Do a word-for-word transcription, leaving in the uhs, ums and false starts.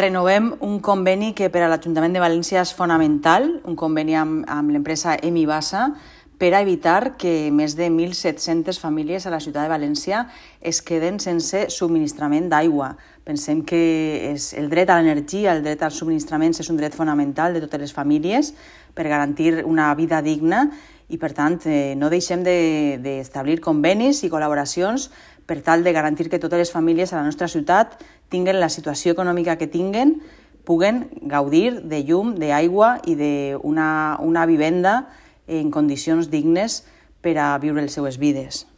renovem un conveni que per a l'Ajuntament de València és fonamental, un conveni amb, amb l'empresa Emibasa, per a evitar que més de mil set-centes famílies a la ciutat de València es queden sense subministrament d'aigua. Pensem que és el dret a l'energia, el dret als subministraments és un dret fonamental de totes les famílies per garantir una vida digna i, per tant, eh, no deixem d'establir de, convenis i col·laboracions per tal de garantir que totes les famílies a la nostra ciutat tinguen la situació econòmica que tinguen, puguen gaudir de llum, d'aigua i d'una una vivenda en condicions dignes per a viure les seues vides.